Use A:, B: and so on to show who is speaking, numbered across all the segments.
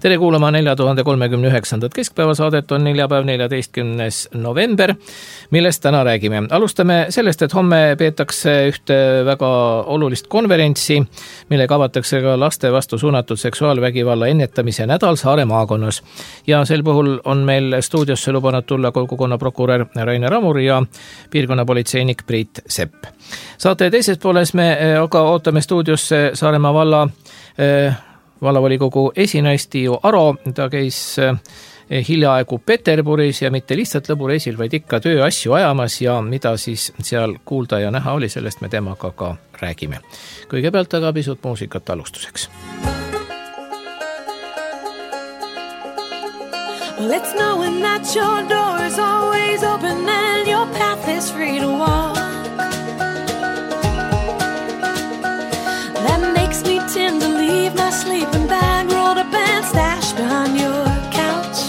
A: Tere kuulama 4039. keskpäevasaadet, on neljapäev 14. november, millest täna räägime. Alustame sellest, et homme peetakse ühte väga olulist konverentsi, millega avatakse ka laste vastu suunatud seksuaalvägivalla ennetamise nädal Saare maakonnas. Ja sel puhul on meil stuudiosse lubanud tulla kogukonnaprokurör Rainer Ramur ja piirkonnapolitseinik Priit Sepp. Saate teises pooles me aga ootame stuudiosse Saaremaa vallavolikogu esinaist Tiiu Aro. Ta käis hiljaaegu Peterburis ja mitte lihtsalt lõbureisil, vaid ikka tööasju ajamas ja mida siis seal kuulda ja näha oli, sellest me temaga ka räägime. Kõigepealt aga pisut muusikat alustuseks.
B: Well, it's knowing that your door is always open and your path is free to walk. That makes me tend to leave my sleeping bag rolled up and stashed behind your couch.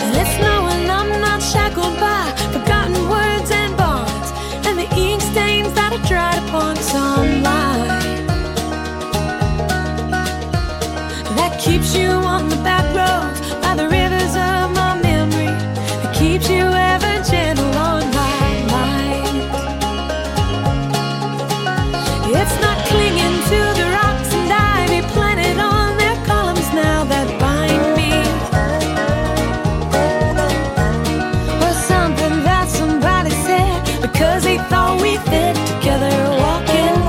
B: And it's knowing I'm not shackled by forgotten words and bonds and the ink stains that are dried upon sunlight. That keeps you on the back roads by the rivers of my memory. It keeps you ever gentle on my mind. It's not clinging to the rocks and ivy planted on their columns now that bind me, or something that somebody said because they thought we fit together walking.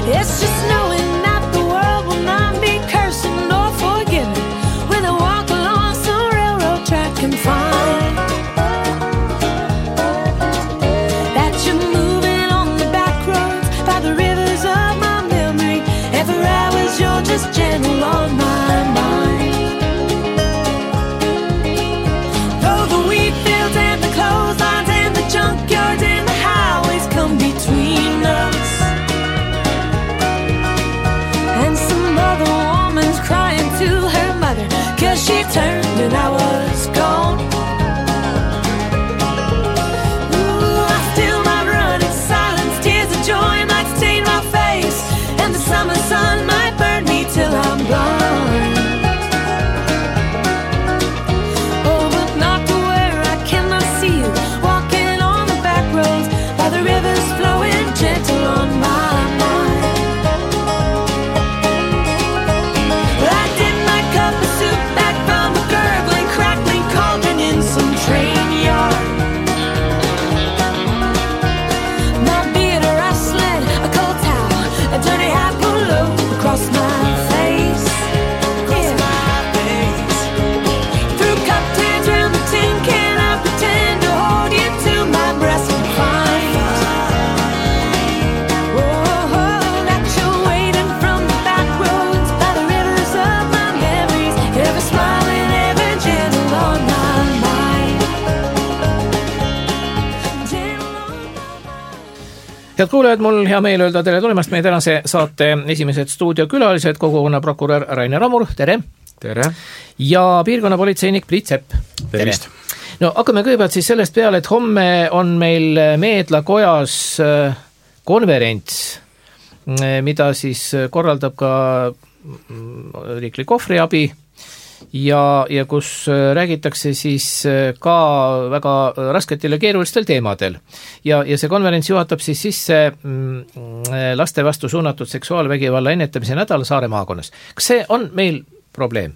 B: It's just knowing that the world will not be cursing or forgiving when I walk along some railroad track and find that you're moving on the back roads by the rivers of my memory. Every hour's you're just gentle on my mind. Though the wheat fields and the clotheslines and the junkyards and the highways come between us, and some other woman's crying to her mother 'cause she turned and I was gone. Ooh, I still might run in silence, tears of joy might stain my face, and the summer sun might burn me till I'm blind. Oh, but not to where I cannot see you walking on the back roads by the rivers flowing gentle on my mind. I did my cup of soup back from a gurgling, crackling cauldron in some train yard. My beard rustling, a cold towel, a dirty hat pulled low across my face. Through cup tins round the tin can, I pretend to hold you to my breast and find that you're waiting from the back roads by the rivers of my memories, ever smiling, ever gentle on my mind. Gentle on my mind.
A: Head kuulajad, mul hea meel öelda tere tulemast meie tänase saate esimesed stuudiokülalised, kogukonnaprokurör Rainer Ramur, tere!
C: Tere!
A: Ja piirkonnapolitseinik Priit Sepp.
C: Tervist!
A: No hakkame kõigepealt siis sellest peale, et homme on meil Meedla kojas konverents, mida siis korraldab ka riiklik ohvriabi ja kus räägitakse siis ka väga rasketel ja keerulistel teemadel. Ja see konverents juhatab siis sisse laste vastu suunatud seksuaalvägivalla ennetamise nädal Saare maakonnas. Kas see on meil probleem?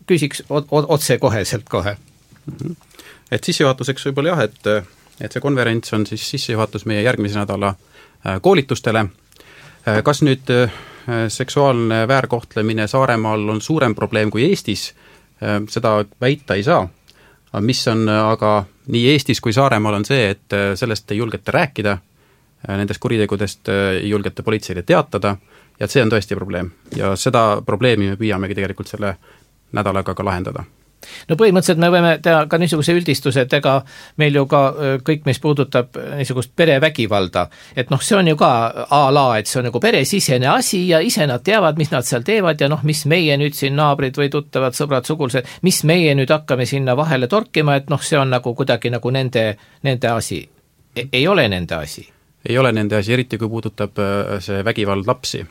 A: Küsiks otse koheselt kohe.
C: Et sissejuhatuseks võib-olla jah, et see konverents on siis sissejuhatus meie järgmise nädala koolitustele. Kas nüüd seksuaalne väärkohtlemine Saaremaal on suurem probleem kui Eestis, seda väita ei saa. Mis on aga nii Eestis kui Saaremaal on see, et sellest ei julgeta rääkida, nendest kuritegudest ei julgeta politseile teatada ja see on tõesti probleem. Ja seda probleemi me püüamegi tegelikult selle nädalaga ka lahendada.
A: No põhimõtteliselt me võime teha ka niisuguse üldistuse, et ega meil ju ka kõik, mis puudutab niisugust perevägivalda, et see on ju ka et see on nagu peresisene asi ja ise nad teavad, mis nad seal teevad ja mis meie nüüd siin naabrid või tuttavad, sõbrad, sugulased, mis meie nüüd hakkame sinna vahele torkima, et see on nagu kuidagi nagu nende asi. Ei ole nende asi.
C: ei ole nende asi, eriti kui puudutab see vägivald lapsi.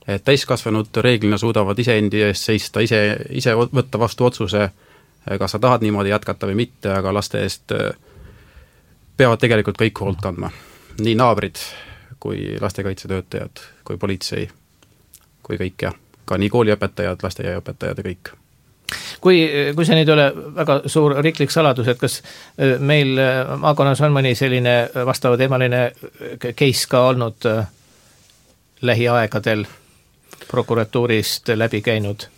C: Et täiskasvanud reeglina suudavad iseendi eest seista, ise võtta vastu otsuse, kas sa tahad niimoodi jätkata või mitte, aga laste eest peavad tegelikult kõik hoolt kandma. Nii naabrid, kui lastekaitsetöötajad, kui politsei, kui kõik ja ka nii kooliõpetajad, lasteaiaõpetajad ja kõik.
A: Kui see nüüd ole väga suur riiklik saladus, et kas meil maakonnas on mõni selline vastava teemaline case ka olnud lähiaegadel prokuratuurist läbi käinud?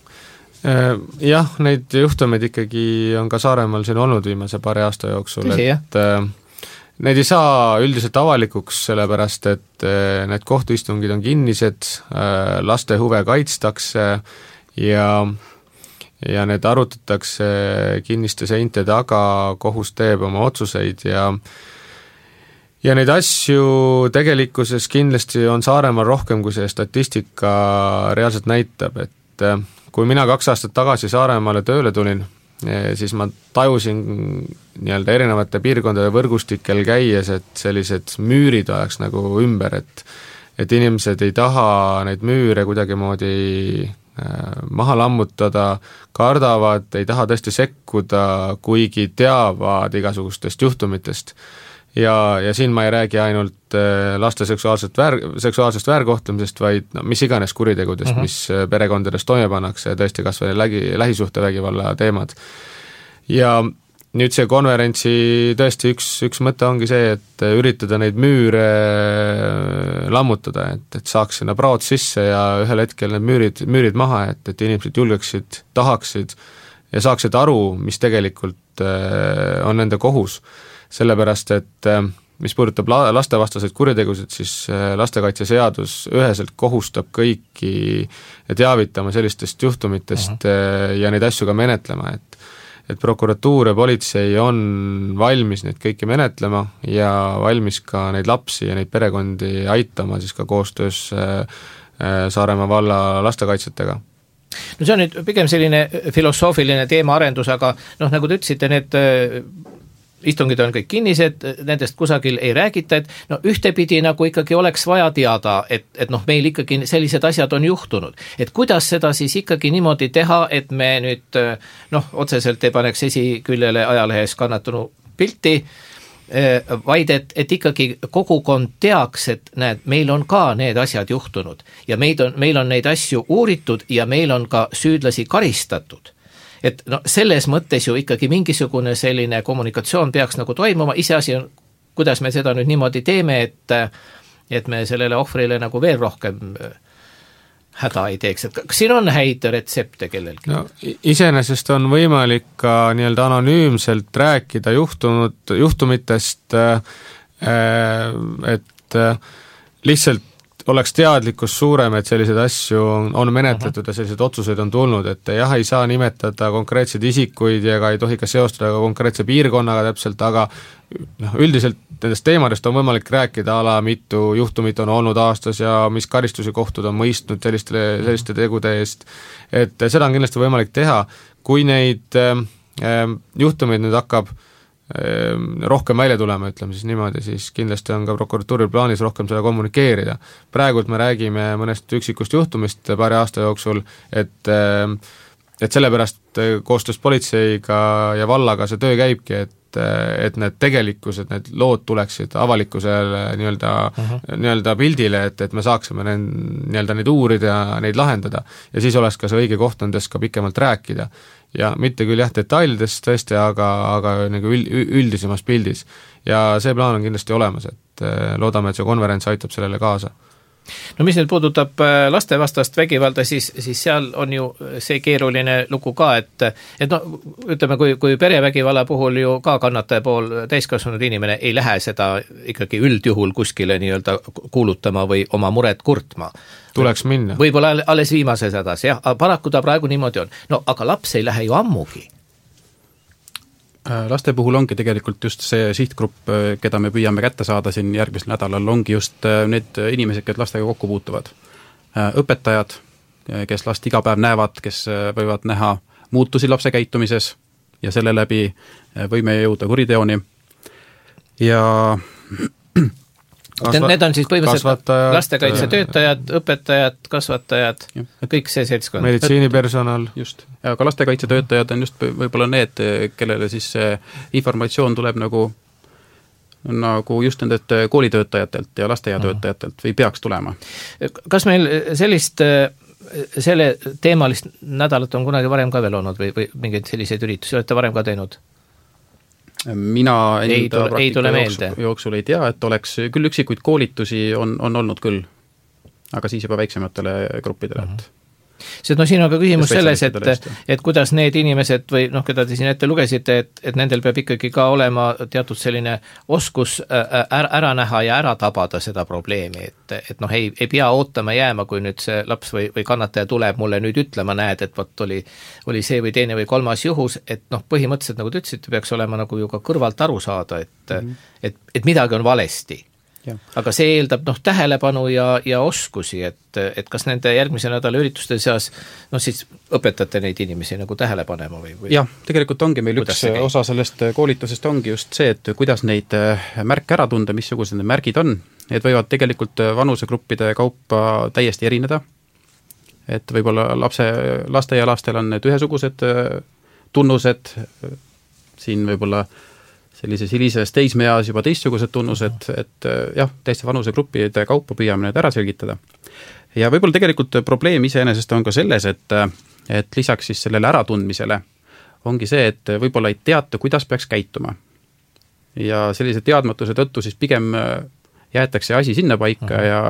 D: Jah, neid juhtumeid ikkagi on ka Saaremaal siin olnud viimase paari aasta jooksul, et need ei saa üldiselt avalikuks, sellepärast et need kohtuistungid on kinnised, laste huve kaitstakse ja need arutatakse kinniste seinte taga, kohus teeb oma otsuseid ja neid asju tegelikkuses kindlasti on Saaremaal rohkem, kui see statistika reaalselt näitab, et kui mina 2 aastat tagasi Saaremaale tööle tulin, siis ma tajusin nii-öelda erinevate piirkondade võrgustikel käies, et sellised müürid oleks nagu ümber, et inimesed ei taha neid müüre kuidagimoodi maha lammutada, kardavad, ei taha tõesti sekkuda, kuigi teavad igasugustest juhtumitest. Ja siin ma ei räägi ainult laste seksuaalsest väärkohtlemisest, vaid mis iganes kuritegudest, mis perekondades toime pannakse, tõesti kas või lähisuhtevägivalla teemad. Ja nüüd see konverentsi tõesti üks mõte ongi see, et üritada neid müüre lammutada, et saaks sinna praod sisse ja ühel hetkel need müürid maha, et inimesed julgeksid, tahaksid ja saaksid aru, mis tegelikult on nende kohus. Sellepärast, et mis puudutab lastevastaseid kuritegusid, siis lastekaitseseadus üheselt kohustab kõiki teavitama sellistest juhtumitest ja neid asju ka menetlema, et prokuratuur ja politsei on valmis neid kõiki menetlema ja valmis ka neid lapsi ja neid perekondi aitama siis ka koostöös Saaremaa valla lastekaitsjatega.
A: No see on nüüd pigem selline filosoofiline teemaarendus, aga nagu te ütlesite, need istungid on kõik kinnised, nendest kusagil ei räägita, et ühtepidi nagu ikkagi oleks vaja teada, et meil ikkagi sellised asjad on juhtunud. Et kuidas seda siis ikkagi niimoodi teha, et me nüüd otseselt ei paneks esiküljele ajalehes kannatanu pilti, vaid et ikkagi kogukond teaks, et näed, meil on ka need asjad juhtunud ja meil on neid asju uuritud ja meil on ka süüdlasi karistatud. Et selles mõttes ju ikkagi mingisugune selline kommunikatsioon peaks nagu toimuma, iseasi on, kuidas me seda nüüd niimoodi teeme, et me sellele ohvrile nagu veel rohkem häda ei teeks, et kas siin on häid retsepte kellelgi?
D: No, iseenesest on võimalik ka nii-öelda anonüümselt rääkida juhtumitest, et lihtsalt oleks teadlikkus suurem, et selliseid asju on menetletud ja sellised otsuseid on tulnud, et jah, ei saa nimetada konkreetseid isikuid ja ei tohi ka seostada ka konkreetse piirkonnaga täpselt, aga üldiselt nendest teemadest on võimalik rääkida mitu juhtumit on olnud aastas ja mis karistusi kohtud on mõistnud selliste tegude eest, et seda on kindlasti võimalik teha, kui neid juhtumeid nüüd hakkab rohkem välja tulema, ütleme siis niimoodi, siis kindlasti on ka prokuratuuril plaanis rohkem seda kommunikeerida. Praegult me räägime mõnest üksikust juhtumist paari aasta jooksul, et sellepärast koostöös politseiga ja vallaga see töö käibki, et need tegelikkused, need lood tuleksid avalikkusele nii-öelda pildile, et me saaksime neid uurida ja neid lahendada ja siis oleks ka see õige koht nendest ka pikemalt rääkida ja mitte küll detailidest tõesti, aga nagu üldisemas pildis ja see plaan on kindlasti olemas, et loodame, et see konverents aitab sellele kaasa.
A: No mis nüüd puudutab lastevastast vägivalda, siis seal on ju see keeruline lugu ka, et ütleme, kui perevägivalla puhul ju ka kannataja pool täiskasvanud inimene ei lähe seda ikkagi üldjuhul kuskile nii-öelda kuulutama või oma muret kurtma.
D: Tuleks minna.
A: Võib-olla alles viimases hädas, jah, paraku ta praegu niimoodi on. No aga laps ei lähe ju ammugi.
C: Laste puhul ongi tegelikult just see sihtgrupp, keda me püüame kätte saada siin järgmisel nädalal, ongi just need inimesed, kes lastega kokku puutuvad. Õpetajad, kes last iga päev näevad, kes võivad näha muutusi lapse käitumises ja selle läbi võime jõuda kuriteoni. Ja
A: Need on siis põhimõtteliselt lastekaitsetöötajad, õpetajad, kasvatajad, kõik see seltskond.
D: Meditsiinipersonal.
C: Just, aga lastekaitsetöötajad on just võib-olla need, kellele siis informatsioon tuleb nagu just nendelt koolitöötajatelt ja lasteaiatöötajatelt või peaks tulema.
A: Kas meil selle teemalist nädalat on kunagi varem ka veel olnud või mingeid selliseid üritusi olete varem ka teinud?
C: Mina enda
A: praktika
C: jooksul ei tea, et oleks küll üksikuid koolitusi on olnud küll, aga siis juba väiksematele gruppidele.
A: Sest siin on ka küsimus selles, et kuidas need inimesed või keda te siin ette lugesite, et nendel peab ikkagi ka olema teatud selline oskus ära näha ja ära tabada seda probleemi, et ei pea ootama jääma, kui nüüd see laps või kannataja tuleb mulle nüüd ütlema, näed, et vot oli see või teine või kolmas juhus, et põhimõtteliselt, nagu te ütlesite, peaks olema nagu ju ka kõrvalt aru saada, et midagi on valesti. Aga see eeldab tähelepanu ja oskusi, et kas nende järgmise nädala ürituste seas siis õpetate neid inimesi nagu tähele panema või?
C: Jah, tegelikult ongi meil üks osa sellest koolitusest ongi just see, et kuidas neid märke ära tunda, missugused need märgid on. Need võivad tegelikult vanusegruppide kaupa täiesti erineda, et võib-olla lasteaialastel on need ühesugused tunnused, siin võib-olla sellises hilises teismeeas juba teistsugused tunnused, et jah, täiesti vanusegruppide kaupa püüame need ära selgitada. Ja võib-olla tegelikult probleem iseenesest on ka selles, et lisaks siis sellele äratundmisele ongi see, et võib-olla ei teata, kuidas peaks käituma. Ja sellise teadmatuse tõttu siis pigem jäetakse asi sinna paika ja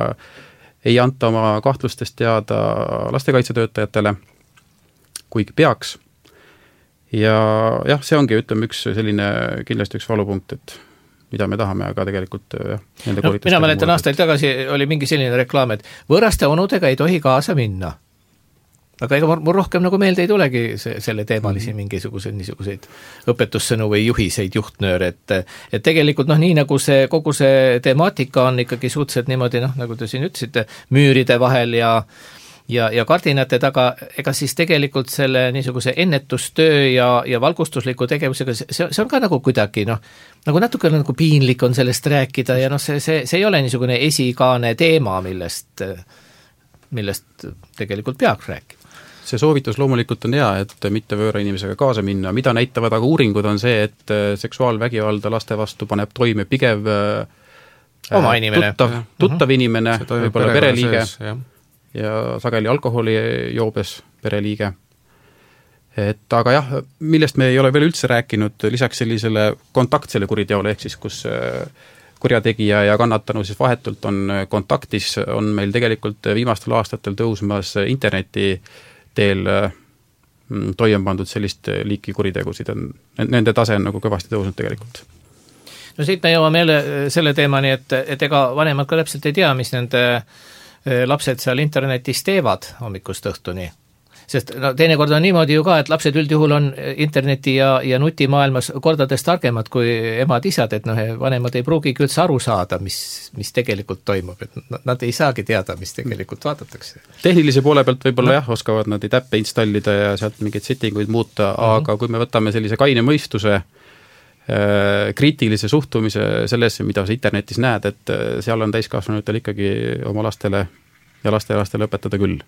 C: ei anta oma kahtlustest teada lastekaitsetöötajatele, kuigi peaks. Ja jah, see ongi, ütleme, üks selline kindlasti üks valupunkt, et mida me tahame, aga tegelikult nende koolitustega...
A: Mina mäletan aastaid tagasi oli mingi selline reklaam, et võõraste onudega ei tohi kaasa minna. Aga ega mul rohkem nagu meelde ei tulegi selle teemalisi niisuguseid õpetussõnu või juhiseid, juhtnööre, et tegelikult nii nagu kogu see temaatika on ikkagi suhteliselt niimoodi, nagu te siin ütlesite, müüride vahel ja kardinate taga, ega siis tegelikult selle niisuguse ennetustöö ja valgustusliku tegevusega, see on ka nagu kuidagi, nagu natuke nagu piinlik on sellest rääkida ja see ei ole niisugune esikaane teema, millest tegelikult peaks rääkima.
C: See soovitus loomulikult on hea, et mitte võõra inimesega kaasa minna. Mida näitavad aga uuringud on see, et seksuaalvägivalda laste vastu paneb toime pigev
A: oma inimene.
C: Tuttav inimene, võib-olla pereliige ja sageli alkoholi joobes pereliige. Aga jah, millest me ei ole veel üldse rääkinud, lisaks sellisele kontaktsele kuriteole, ehk siis kus kurjategija ja kannatanu siis vahetult on kontaktis, on meil tegelikult viimastel aastatel tõusmas interneti teel toime pandud sellist liiki kuritegusid. Nende tase on nagu kõvasti tõusnud tegelikult.
A: Siit me jõuame jälle selle teemani, et ega vanemad ka täpselt ei tea, mis nende lapsed seal internetis teevad hommikust õhtuni. Sest teinekord on niimoodi ju ka, et lapsed üldjuhul on interneti ja nutimaailmas kordades targemad kui emad-isad, et vanemad ei pruugigi üldse aru saada, mis tegelikult toimub, et nad ei saagi teada, mis tegelikult vaadatakse.
C: Tehnilise poole pealt võib-olla oskavad nad täppe installida ja sealt mingeid settinguid muuta, aga kui me võtame sellise kaine mõistuse, kriitilise suhtumise sellesse, mida sa internetis näed, et seal on täiskasvanutel ikkagi oma lastele ja lastelastele õpetada küll.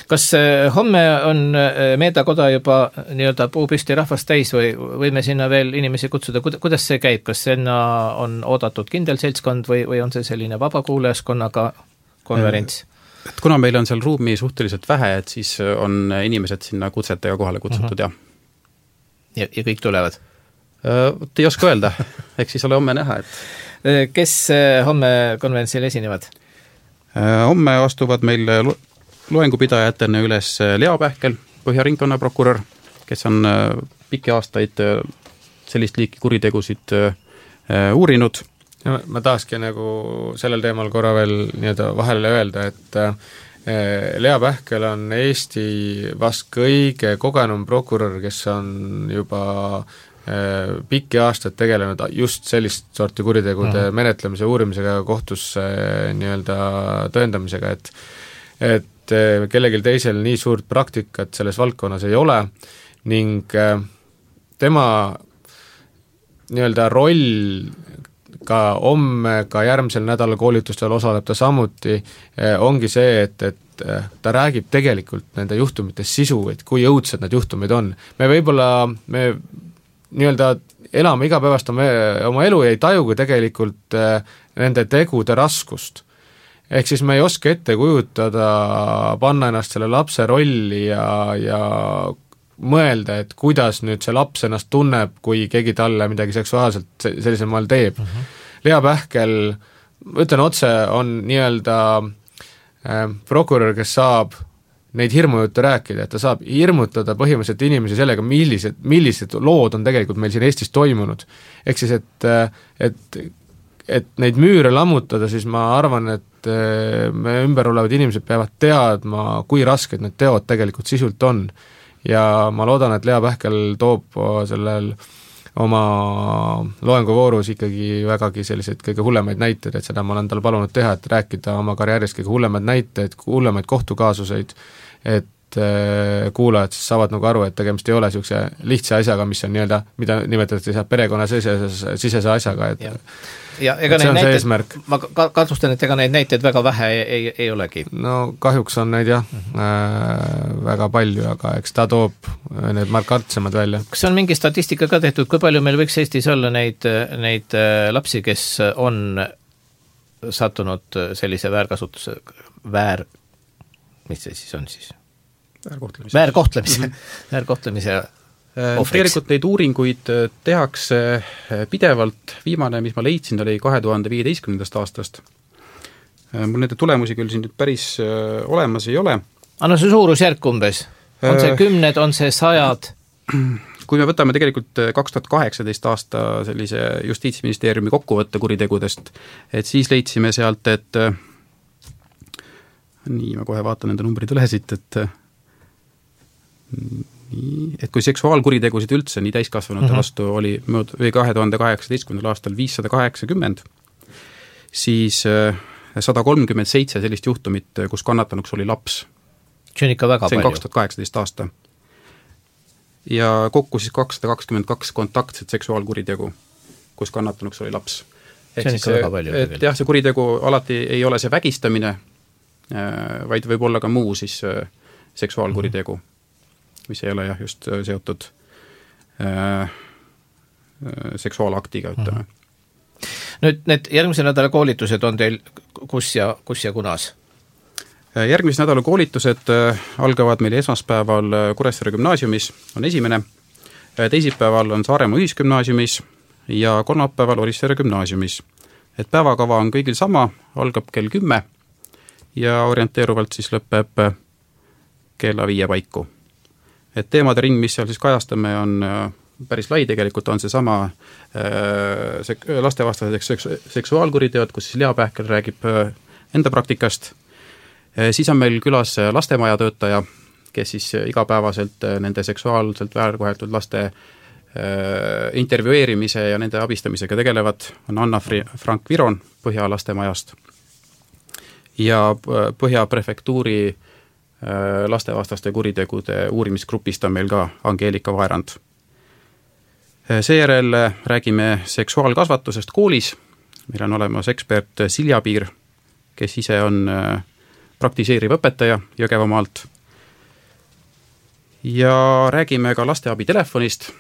A: Kas homme on Meedakoda juba nii-öelda puupüsti rahvast täis või võime sinna veel inimesi kutsuda? Kuidas see käib? Kas sinna on oodatud kindel seltskond või on see selline vabakuulajaskonnaga konverents?
C: Et kuna meil on seal ruumi suhteliselt vähe, et siis on inimesed sinna kutsetega kohale kutsutud, jah.
A: Ja kõik tulevad?
C: Ei oska öelda, eks siis ole homme näha.
A: Kes homme konverentsil esinevad?
C: Homme astuvad meil loengupidajatena üles Lea Pähkel, Põhja-ringkonna prokurör, kes on pikki aastaid sellist liiki kuritegusid uurinud.
D: Ma tahakski nagu sellel teemal korra veel nii-öelda vahele öelda, et Lea Pähkel on Eesti vast kõige kogenum prokurör, kes on juba pikki aastaid tegelenud just sellist sorti kuritegude menetlemise, uurimisega ja kohtusse nii-öelda tõendamisega, et kellelgi teisel nii suurt praktikat selles valdkonnas ei ole ning tema nii-öelda roll ka homme, ka järgmisel nädalal koolitustel osaleb ta samuti, ongi see, et ta räägib tegelikult nende juhtumite sisu, et kui õudsed need juhtumid on. Me nii-öelda elame igapäevast oma elu ja ei tajugi tegelikult nende tegude raskust. Ehk siis me ei oska ette kujutada, panna ennast selle lapse rolli ja mõelda, et kuidas nüüd see laps ennast tunneb, kui keegi talle midagi seksuaalselt sellisel maal teeb. Lea Pähkel, ütlen otse, on nii-öelda prokurör, kes saab neid hirmujuttu rääkida, et ta saab hirmutada põhimõtteliselt inimesi sellega, millised lood on tegelikult meil siin Eestis toimunud. Ehk siis, et neid müüre lammutada, siis ma arvan, et me ümber olevad inimesed peavad teadma, kui rasked need teod tegelikult sisult on. Ja ma loodan, et Lea Pähkel toob sellel oma loenguvoorus ikkagi vägagi selliseid kõige hullemaid näiteid, et seda ma olen tal palunud teha, et rääkida oma karjäärist kõige hullemaid näiteid, hullemaid kohtukaasuseid, et kuulajad siis saavad nagu aru, et tegemist ei ole niisuguse lihtsa asjaga, mis on nii-öelda, mida nimetatakse perekonna sisese asjaga, et
A: ja ega neid näiteid, ma kahtlustan, et ega neid näiteid väga vähe ei olegi.
D: No kahjuks on neid jah, väga palju, aga eks ta toob need markantsemad välja. Kas
A: on mingi statistika ka tehtud, kui palju meil võiks Eestis olla neid lapsi, kes on sattunud sellise väärkasutuse, mis see siis on siis? Väärkohtlemise ohvriks.
C: Tegelikult neid uuringuid tehakse pidevalt, viimane, mis ma leidsin, oli 2015. aastast. Mul nende tulemusi küll siin nüüd päris olemas ei ole.
A: Anna see suurusjärk umbes? On see 10, on see 100?
C: Kui me võtame tegelikult 2018 aasta sellise Justiitsministeeriumi kokkuvõtte kuritegudest, et siis leidsime sealt, et nii, ma kohe vaatan nende numbrid üle siit, et kui seksuaalkuritegusid üldse nii täiskasvanute vastu oli 2018. aastal 580, siis 137 sellist juhtumit, kus kannatanuks oli laps.
A: See on ikka väga palju.
C: See on 2018 aasta. Ja kokku siis 222 kontaktset seksuaalkuritegu, kus kannatanuks oli laps.
A: See on ikka väga palju.
C: Et jah, see kuritegu alati ei ole see vägistamine, vaid võib olla ka muu siis seksuaalkuritegu, mis ei ole jah just seotud seksuaalaktiga, ütleme.
A: Nüüd need järgmise nädala koolitused on teil kus ja kunas?
C: Järgmise nädala koolitused algavad meil esmaspäeval Kuressaare gümnaasiumis, on esimene, teisipäeval on Saaremaa ühisgümnaasiumis ja kolmapäeval Orissaare gümnaasiumis. Et päevakava on kõigil sama, algab kell 10 ja orienteeruvalt siis lõpeb kella 5 paiku. Et teemade ring, mis seal siis kajastame, on päris lai, tegelikult on see sama lastevastased seksuaalkuriteod, kus siis Lea Pähkel räägib enda praktikast. Siis on meil külas lastemaja töötaja, kes siis igapäevaselt nende seksuaalselt väärkoheldud laste intervjueerimise ja nende abistamisega tegelevad, on Anna Frank Viron Põhja lastemajast ja Põhja prefektuuri lastevastaste kuritegude uurimisgrupist on meil ka Angeelika Vaerand. Seejärel räägime seksuaalkasvatusest koolis. Meil on olemas ekspert Silja Piir, kes ise on praktiseeriv õpetaja Jõgevamaalt. Ja räägime ka lasteabitelefonist.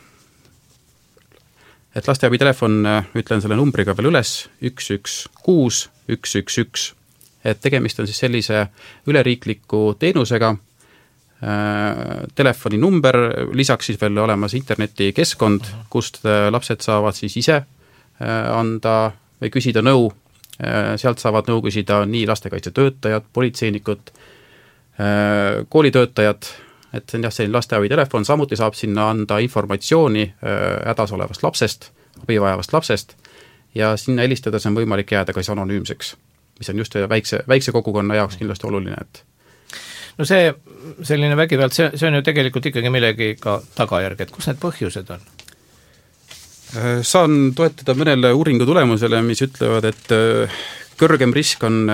C: Et lasteabitelefon, ütlen selle numbriga veel üles, 116 111. Et tegemist on siis sellise üleriikliku teenusega, telefoni number, lisaks siis veel olemas internetikeskkond, kust lapsed saavad siis ise anda või küsida nõu, sealt saavad nõu küsida nii lastekaitsetöötajad, politseinikud, koolitöötajad, et see on jah selline lasteabitelefon, samuti saab sinna anda informatsiooni hädas olevast lapsest, abivajavast lapsest ja sinna helistades on võimalik jääda ka anonüümseks, mis on just väikse kogukonna jaoks kindlasti oluline, et
A: no see selline vägivald, see on ju tegelikult ikkagi millegi ka tagajärg, et kus need põhjused on?
C: Saan toetada mõnele uuringu tulemusele, mis ütlevad, et kõrgem risk on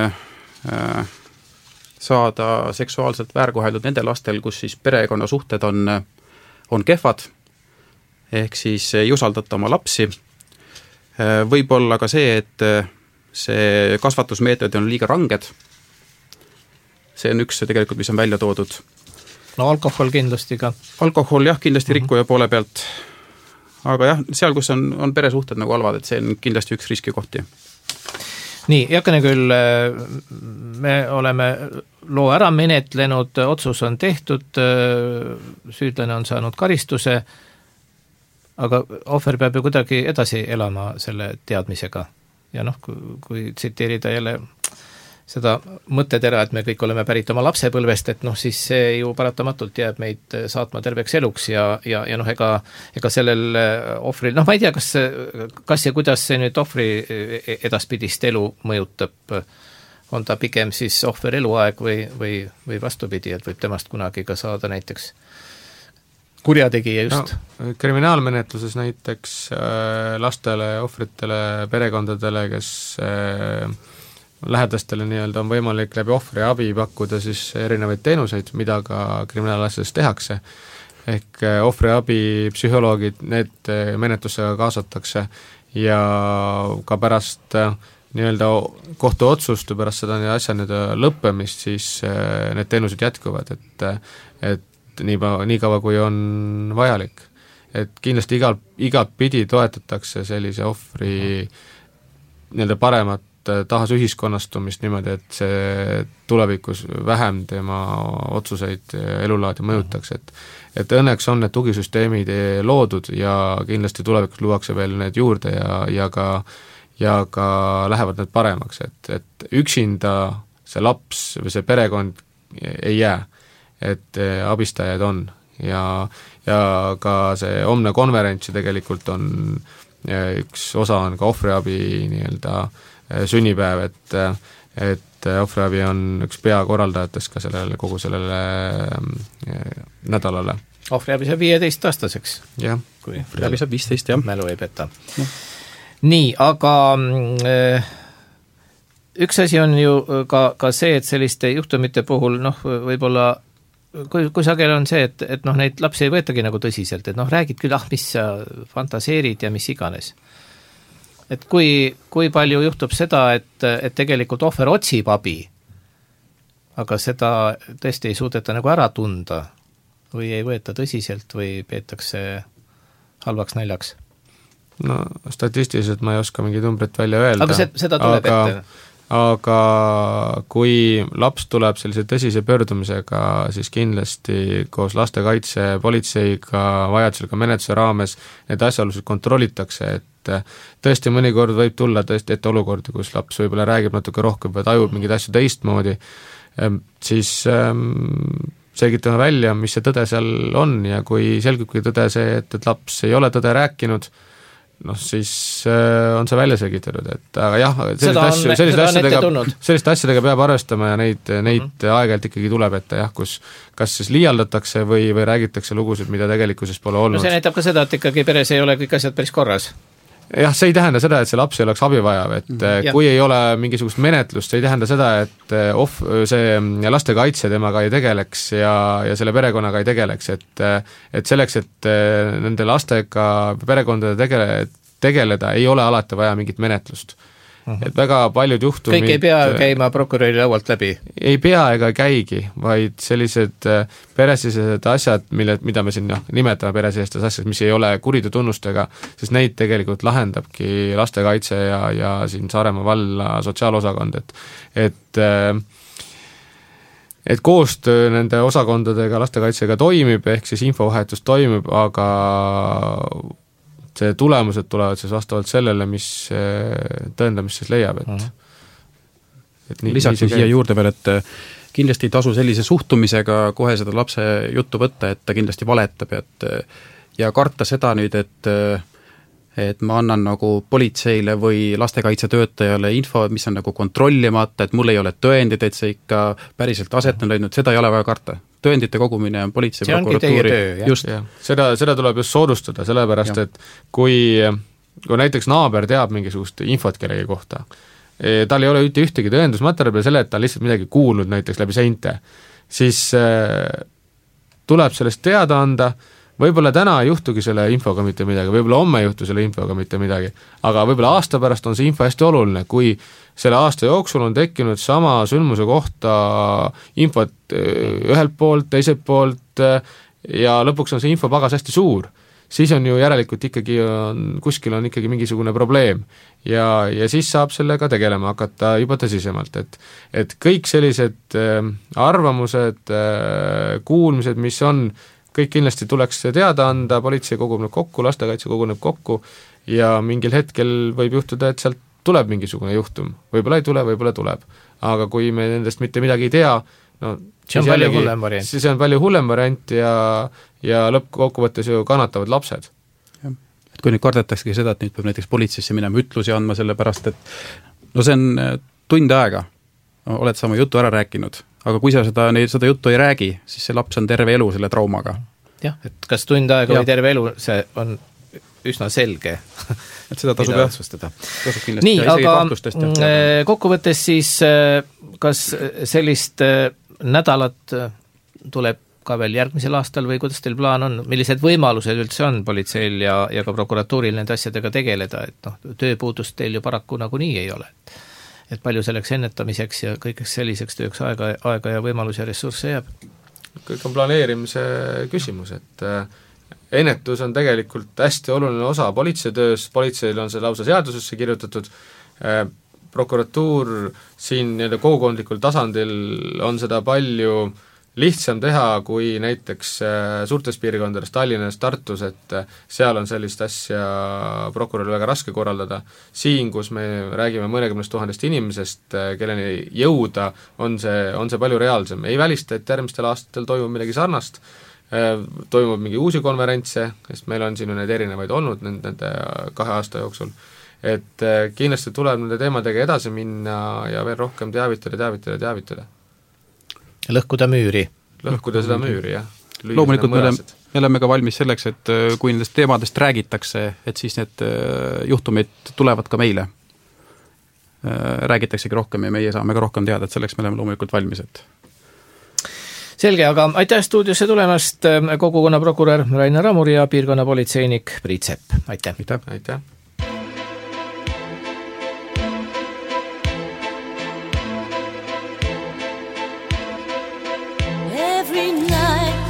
C: saada seksuaalselt väärkoheldud nende lastel, kus siis perekonna suhted on kehvad, ehk siis ei usaldata oma lapsi. Võib olla ka see, et see kasvatusmeetod on liiga ranged, see on üks tegelikult, mis on välja toodud.
A: No alkohol kindlasti ka.
C: Alkohol jah, kindlasti rikkuja poole pealt, aga jah, seal, kus on peresuhted nagu halvad, et see on kindlasti üks riskikohti.
A: Nii, Jakene küll, me oleme loo ära menetlenud, otsus on tehtud, süüdlane on saanud karistuse, aga ohver peab ju kuidagi edasi elama selle teadmisega. Ja noh, kui tsiteerida jälle seda mõttetera, et me kõik oleme pärit oma lapsepõlvest, et noh, siis see ju paratamatult jääb meid saatma terveks eluks ja noh, ega sellel ohvril, noh, ma ei tea, kas ja kuidas see nüüd ohvri edaspidist elu mõjutab, on ta pigem siis ohver eluaeg või vastupidi, et võib temast kunagi ka saada näiteks kurjategija just.
D: No, kriminaalmenetluses näiteks lastele, ohvritele, perekondadele, kes lähedastele nii-öelda on võimalik läbi ohvri abi pakkuda siis erinevaid teenuseid, mida ka kriminaalasjades tehakse. Ehk ohvri abi, psühholoogid, need menetlusega kaasatakse ja ka pärast nii-öelda kohtuotsust ja pärast seda asja lõppemist, siis need teenused jätkuvad, et nii kaua, kui on vajalik. Et kindlasti igalt pidi toetatakse sellise ohvri nii-öelda paremat tahas ühiskonnastumist niimoodi, et see tulevikus vähem tema otsuseid elulaadi mõjutaks, et õnneks on need tugisüsteemid loodud ja kindlasti tulevikus luuakse veel need juurde ja ka lähevad need paremaks, et üksinda see laps või see perekond ei jää, et abistajaid on ja ka see homne konverents tegelikult on üks osa on ka ohvriabi nii-öelda sünnipäev, et ohvriabi on üks peakorraldajatest ka kogu sellele nädalale.
A: Ohvriabi saab 15-aastaseks.
C: Jah, ohvriabi saab 15, jah.
A: Mälu ei peta. Nii, aga üks asi on ju ka see, et selliste juhtumite puhul, noh, võib-olla kui sagel on see, et noh, neid lapsi ei võetagi nagu tõsiselt, et noh, räägid küll, mis sa fantaseerid ja mis iganes. Et kui palju juhtub seda, et tegelikult ohver otsib abi, aga seda tõesti ei suudeta nagu ära tunda või ei võeta tõsiselt või peetakse halvaks naljaks?
D: No statistiliselt ma ei oska mingi numbrit välja öelda.
A: Aga seda tuleb ette.
D: Aga kui laps tuleb sellise tõsise pöördumisega, siis kindlasti koos lastekaitse, politseiga, vajadusel ka menetluse raames need asjaolusid kontrollitakse, et tõesti mõnikord võib tulla tõesti ette olukordi, kus laps võib-olla räägib natuke rohkem või tajub mingeid asju teistmoodi, siis selgitame välja, mis see tõde seal on ja kui selgibki tõde see, et laps ei ole tõde rääkinud, noh, siis on see välja selgitatud, et aga jah, selliste asjadega peab arvestama ja neid aeg-ajalt ikkagi tuleb ette jah, kus kas siis liialdatakse või räägitakse lugusid, mida tegelikkuses pole olnud.
A: No see näitab ka seda, et ikkagi peres ei ole kõik asjad päris korras.
D: Jah, see ei tähenda seda, et see laps ei oleks abivajav, et kui ei ole mingisugust menetlust, see ei tähenda seda, et see lastekaitse temaga ei tegeleks ja selle perekonnaga ei tegeleks, et selleks, et nende lastega perekondade tegeleda, ei ole alati vaja mingit menetlust. Et väga paljud juhtumid
A: kõik ei pea käima prokuröri laualt läbi?
D: Ei pea ega käigi, vaid sellised peresisesed asjad, mida me siin nimetame peresisestes asjad, mis ei ole kuriteotunnustega, siis neid tegelikult lahendabki lastekaitse ja siin Saaremaa valla sotsiaalosakond, et koostöö nende osakondadega lastekaitsega toimib, ehk siis infovahetus toimib, aga see tulemused tulevad siis vastavalt sellele, mis tõendamist siis leiab, et
C: lisaks siia juurde veel, et kindlasti ei tasu sellise suhtumisega kohe seda lapse juttu võtta, et ta kindlasti valetab ja karta seda nüüd, et ma annan nagu politseile või lastekaitsetöötajale info, mis on nagu kontrollimata, et mul ei ole tõendid, et see ikka päriselt aset on leidnud, seda ei ole vaja karta. Tõendite kogumine on politsei, prokuratuuri.
D: Just. Seda tuleb just soodustada, sellepärast, et kui näiteks naaber teab mingisugust infot kellegi kohta, tal ei ole ühtegi tõendusmaterjali peale selle, et ta on lihtsalt midagi kuulnud näiteks läbi seinte, siis tuleb sellest teada anda, võib-olla täna ei juhtugi selle infoga mitte midagi, võib-olla homme ei juhtu selle infoga mitte midagi, aga võib-olla aasta pärast on see info hästi oluline, kui selle aasta jooksul on tekkinud sama sündmuse kohta infot ühelt poolt, teiselt poolt ja lõpuks on see infopagas hästi suur, siis on ju järelikult ikkagi kuskil on ikkagi mingisugune probleem ja siis saab sellega tegelema hakata juba tõsisemalt, et kõik sellised arvamused, kuulmised, mis on, kõik kindlasti tuleks teada anda, politsei koguneb kokku, lastekaitse koguneb kokku ja mingil hetkel võib juhtuda, et sealt tuleb mingisugune juhtum, võib-olla ei tule, võib-olla tuleb. Aga kui me nendest mitte midagi ei tea, no
A: see on palju hullem variant.
D: See on palju hullem variant ja lõppkokkuvõttes ju kannatavad lapsed.
C: Et kui nüüd kardetaksegi seda, et nüüd peab näiteks politseisse minema ütlusi andma selle pärast, et no see on tund aega, oled sama jutu ära rääkinud, aga kui sa seda juttu ei räägi, siis see laps on terve elu selle traumaga.
A: Jah, et kas tund aega või terve elu, see on üsna selge,
C: et seda tasub
A: otsustada. Nii, aga kokkuvõttes siis, kas sellist nädalat tuleb ka veel järgmisel aastal või kuidas teil plaan on, millised võimalused üldse on politseil ja ka prokuratuuril nende asjadega tegeleda, et tööpuudust teil ju paraku nagunii ei ole. Et palju selleks ennetamiseks ja kõigeks selliseks tööks aega ja võimalus ja ressursse jääb?
D: Kõik on planeerimise küsimus, et ennetus on tegelikult hästi oluline osa politseitöös, politseil on see lausa seadusesse kirjutatud, prokuratuur siin kogukondlikul tasandil on seda palju lihtsam teha kui näiteks suurtes piirkondades, Tallinnas, Tartus, et seal on sellist asja prokuröril väga raske korraldada. Siin, kus me räägime mõnekümnest tuhandest inimesest, kelleni jõuda, on see palju reaalsem. Ei välista, et järgmistel aastatel toimub midagi sarnast, toimub mingi uusi konverentse, sest meil on siin need erinevaid olnud nende 2 aasta jooksul. Et kindlasti tuleb nende teemadega edasi minna ja veel rohkem teavitada.
A: Lõhkuda müüri.
D: Lõhkuda seda müüri, jah.
C: Loomulikult me oleme ka valmis selleks, et kui nendest teemadest räägitakse, et siis need juhtumid tulevad ka meile. Räägitaksegi rohkem ja meie saame ka rohkem teada, et selleks me oleme loomulikult valmis.
A: Selge, aga aitäh stuudiosse tulemast kogukonna prokurör Rainer Ramur ja piirkonnapolitseinik Priit Sepp. Aitäh.
D: Aitäh.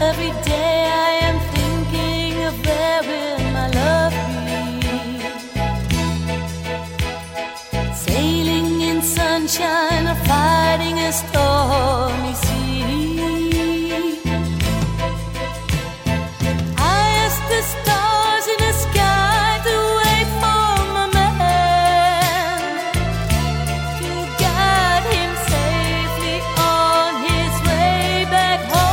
B: Every day I am thinking of where will my love be. Sailing in sunshine or fighting a stormy sea. I ask the stars in the sky to wait for my man, to guide him safely on his way back home.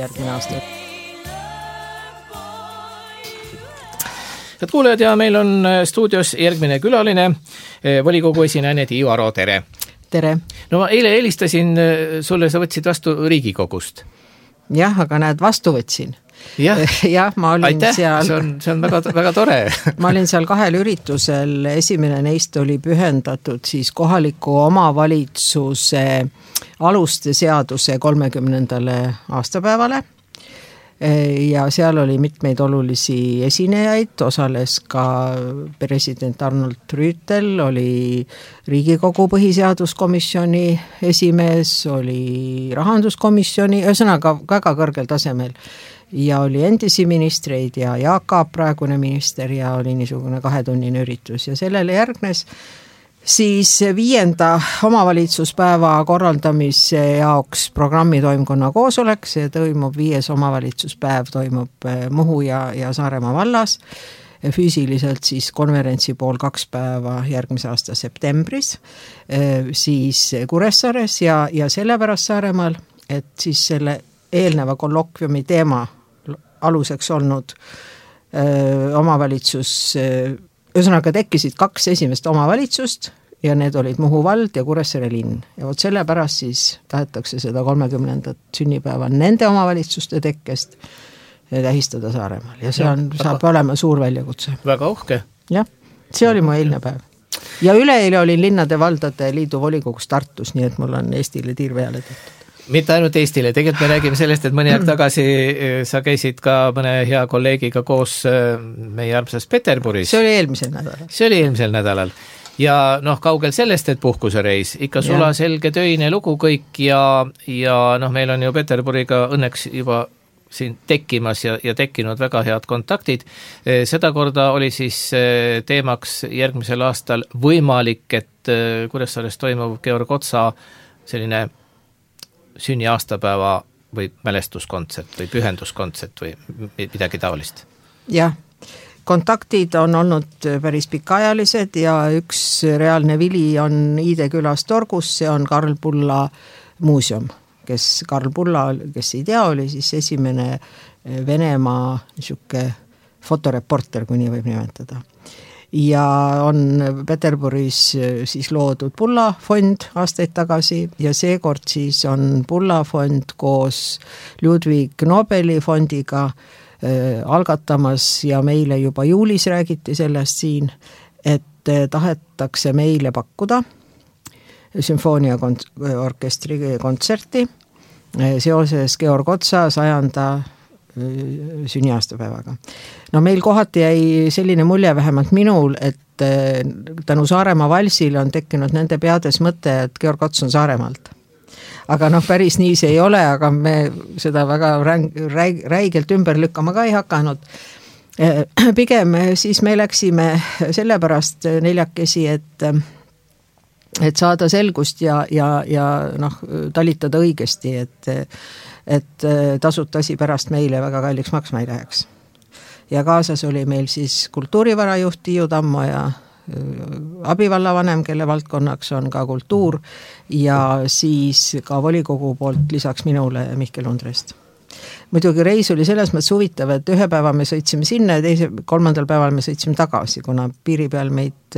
E: järgmine aasta.
A: Head kuulajad, ja meil on stuudios järgmine külaline, volikogu esinaine Tiiu Aro, tere!
E: Tere!
A: No ma eile helistasin sulle, sa võtsid vastu Riigikogust.
E: Jah, aga näed, vastu võtsin.
A: Jah,
E: ma olin
A: aitäh,
E: seal...
A: see on väga, väga tore.
E: Ma olin seal 2 üritusel, esimene neist oli pühendatud siis kohaliku omavalitsuse aluste seaduse 30. aastapäevale ja seal oli mitmeid olulisi esinejaid, osales ka president Arnold Rüütel, oli Riigikogu põhiseaduskomisjoni esimees, oli rahanduskomisjoni, ühesõnaga väga kõrgel tasemel ja oli endisi ministreid ja Jaak Aab, praegune minister, ja oli niisugune 2-tunnine üritus ja sellele järgnes siis 5. omavalitsuspäeva korraldamise jaoks programmitoimkonna koosolek, see toimub 5. omavalitsuspäev, toimub Muhu ja Saaremaa vallas, füüsiliselt siis konverentsi pool 2 päeva järgmise aasta septembris, siis Kuressaares ja sellepärast Saaremaal, et siis selle eelneva kollokviumi teema aluseks olnud omavalitsus, ühesõnaga tekkisid 2 esimest omavalitsust ja need olid Muhu vald ja Kuressaare linn. Ja vot sellepärast siis tahetakse seda 30. sünnipäeva nende omavalitsuste tekkest tähistada Saaremaal. Ja see saab olema suur väljakutse.
A: Väga uhke.
E: Jah, see oli mu eilne päev. Ja üleeile olin Linnade Valdade Liidu volikogus Tartus, nii et mul on Eestile tiir peale tehtud.
A: Mitte ainult Eestile, tegelikult me räägime sellest, et mõni aeg tagasi sa käisid ka mõne hea kolleegiga koos meie armsas Peterburis.
E: See oli eelmisel nädalal.
A: See oli eelmisel nädalal. Ja kaugel sellest, et puhkusereis, ikka sula selge töine lugu kõik ja meil on ju Peterburiga õnneks juba siin tekkimas ja tekkinud väga head kontaktid. Seda korda oli siis teemaks järgmisel aastal võimalik, et Kuressaares toimub Georg Otsa selline sünni aastapäeva või mälestuskontsert või pühenduskontsert või midagi taolist.
E: Jah, kontaktid on olnud päris pikaajalised ja üks reaalne vili on Iide külas Torgus, see on Karl Pulla muuseum, Karl Pulla, kes ei tea, oli siis esimene Venemaa niisugune fotoreporter, kui nii võib nimetada. Ja on Peterburis siis loodud Pulla fond aastaid tagasi ja seekord siis on Pulla fond koos Ludwig Nobeli fondiga algatamas ja meile juba juulis räägiti sellest siin, et tahetakse meile pakkuda sümfooniaorkestri kontserti seoses Georg Otsa 100. sünniaastapäevaga. No meil kohati jäi selline mulje vähemalt minul, et tänu Saaremaa valsile on tekkinud nende peades mõte, et Georg Ots on Saaremaalt. Aga päris nii see ei ole, aga me seda väga räigelt ümber lükkama ka ei hakanud. Pigem siis me läksime sellepärast neljakesi, et saada selgust ja talitada õigesti, et tasuta asi pärast meile väga kalliks maksma ei läheks. Ja kaasas oli meil siis kultuurivarajuht Tiiu Tammo ja abivallavanem, kelle valdkonnaks on ka kultuur ja siis ka volikogu poolt lisaks minule Mihkel Undrest. Muidugi reis oli selles mõttes huvitav, et 1 päeva me sõitsime sinna ja 3. päeval me sõitsime tagasi, kuna piiri peal meid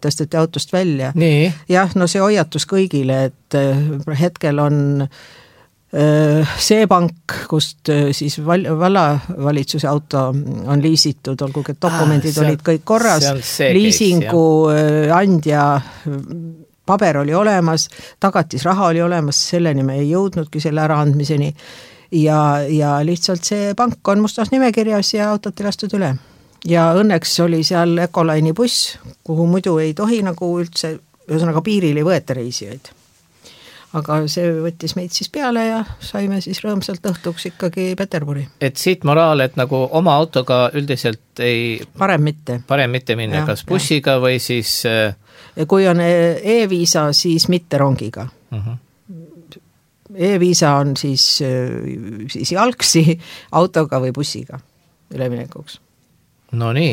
E: tõsteti autost välja.
A: Nii.
E: Jah, see hoiatus kõigile, et hetkel on see pank, kust siis vallavalitsuse auto on liisitud, olgugi et dokumendid olid kõik korras, liisingu andja paber oli olemas, tagatisraha oli olemas, selleni me ei jõudnudki selle äraandmiseni ja lihtsalt see pank on mustas nimekirjas ja autot ei lastud üle. Ja õnneks oli seal Ecoline'i buss, kuhu muidu ei tohi üldse, ühesõnaga piiril ei võeta reisijaid. Aga see võttis meid siis peale ja saime siis rõõmsalt õhtuks ikkagi Peterburi. Et
A: siit moraal, et oma autoga üldiselt ei... Parem mitte minna, kas bussiga või siis...
E: Kui on e-viisa, siis mitte rongiga. E-viisa on siis jalgsi autoga või bussiga üleminekuks.
A: No nii.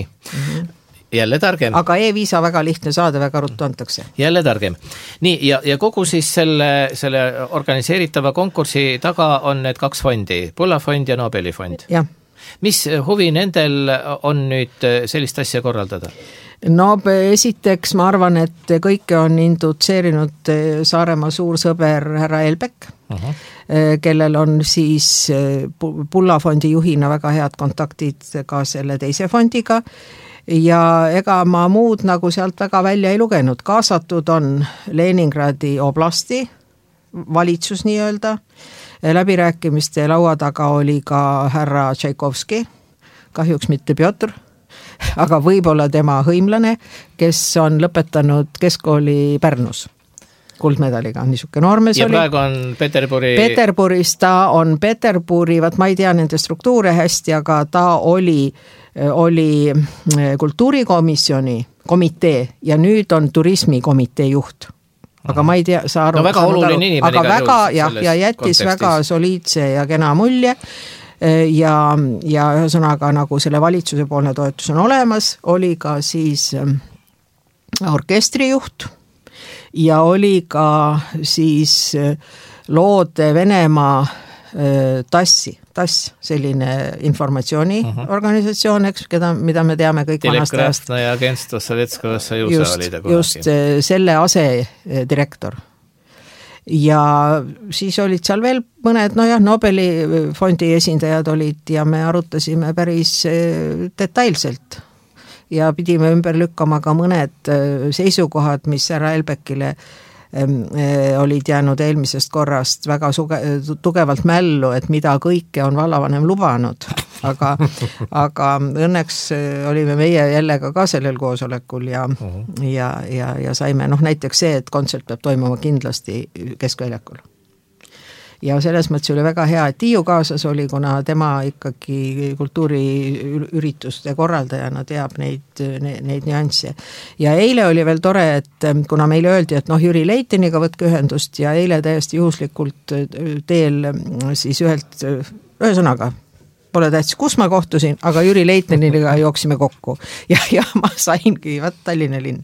A: jälle targem.
E: aga e-viisa väga lihtne saada, väga ruttu antakse.
A: Jälle targem. Nii, ja kogu siis selle organiseeritava konkursi taga on need 2 fondi, Pulla fond ja Nobeli fond.
E: Jah.
A: Mis huvi nendel on nüüd sellist asja korraldada?
E: No esiteks ma arvan, et kõike on indutseerinud Saaremaa suur sõber härra Elbek, kellel on siis Pulla fondi juhina väga head kontaktid ka selle teise fondiga ja ega ma muud nagu sealt väga välja ei lugenud. Kaasatud on Leningradi oblasti valitsus nii-öelda, läbirääkimiste laua taga oli ka härra Tšaikovski, kahjuks mitte Pjotr, aga võib-olla tema hõimlane, kes on lõpetanud keskkooli Pärnus kuldmedaliga, niisugune noormees
A: ja
E: oli.
A: Ja praegu on
E: Peterburis, ta on Peterburi, vaat ma ei tea nende struktuure hästi, aga ta oli kultuurikomisjoni komitee ja nüüd on turismikomitee juht. Aga ma ei tea, sa aru.
A: No väga oluline inimene.
E: Aga väga, ja jättis kontekstis väga soliidse ja kena mulje ja ühesõnaga nagu selle valitsuse poolne toetus on olemas, oli ka siis orkestrijuht ja oli ka siis loode Venemaa TASS, selline informatsiooniorganisatsioon, eks, mida me teame kõik vanast ajast.
A: Telegrafna ja Agentstvo Sovetskого Sojuza oli ta kunagi.
E: Just selle asedirektor. Ja siis olid seal veel mõned, Nobeli fondi esindajad olid ja me arutasime päris detailselt ja pidime ümber lükkama ka mõned seisukohad, mis härra Elbekile olid jäänud eelmisest korrast väga tugevalt mällu, et mida kõike on vallavanem lubanud, aga õnneks olime meie jälle ka sellel koosolekul ja saime näiteks see, et kontsert peab toimuma kindlasti Keskväljakul. Ja selles mõttes oli väga hea, et Tiiu kaasas oli, kuna tema ikkagi kultuuriürituste korraldajana teab neid nüansse. Ja eile oli veel tore, et kuna meile öeldi, et Jüri Leitiniga võtke ühendust ja eile täiesti juhuslikult teel siis ühesõnaga, pole tähtis, kus ma kohtusin, aga Jüri Leitiniga jooksime kokku ja ma saingi, Tallinna linn.